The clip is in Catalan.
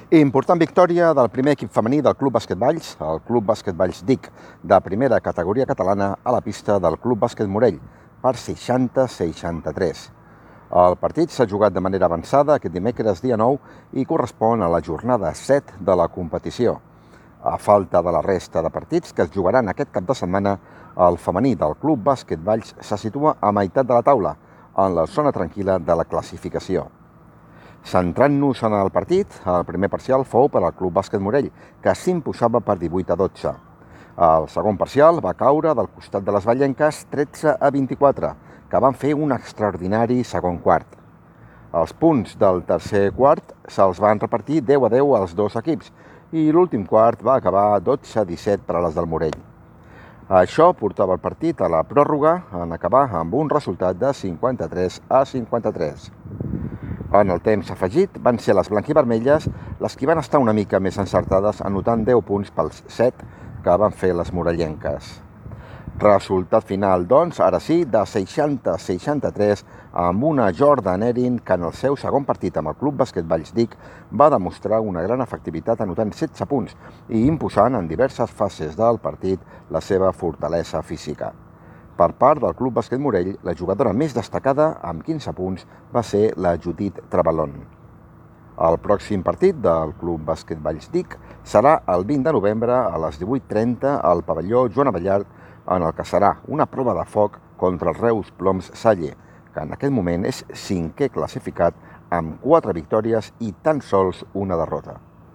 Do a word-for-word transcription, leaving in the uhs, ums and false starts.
Important victòria del primer equip femení del Club Bàsquet Valls, el Club Bàsquet Valls D I C, de primera categoria catalana a la pista del Club Bàsquet Morell, per seixanta a seixanta-tres. El partit s'ha jugat de manera avançada aquest dimecres dia nou i correspon a la jornada set de la competició. A falta de la resta de partits que es jugaran aquest cap de setmana, el femení del Club Bàsquet Valls se situa a meitat de la taula, en la zona tranquil·la de la classificació. Centrant-nos en el partit, el primer parcial fou per al Club Bàsquet Morell, que s'imposava per divuit a dotze. El segon parcial va caure del costat de les vallenques tretze a vint-i-quatre, que van fer un extraordinari segon quart. Els punts del tercer quart se'ls van repartir deu a deu als dos equips i l'últim quart va acabar dotze a disset per a les del Morell. Això portava el partit a la pròrroga en acabar amb un resultat de cinquanta-tres a cinquanta-tres. En el temps afegit van ser les blanquivermelles les qui van estar una mica més encertades, anotant deu punts pels set que van fer les morellenques. Resultat final, doncs, ara sí, de seixanta a seixanta-tres, amb una Jordan Erin que en el seu segon partit amb el Club Bàsquet Valls D I C va demostrar una gran efectivitat anotant setze punts i imposant en diverses fases del partit la seva fortalesa física. Per part del Club Bàsquet Morell, la jugadora més destacada, amb quinze punts, va ser la Judit Trebalón. El pròxim partit del Club Bàsquet Valls D I C serà el vint de novembre a les divuit trenta al pavelló Joan Abellart, en el que serà una prova de foc contra els Reus Ploms Salle, que en aquest moment és cinquè classificat amb quatre victòries i tan sols una derrota.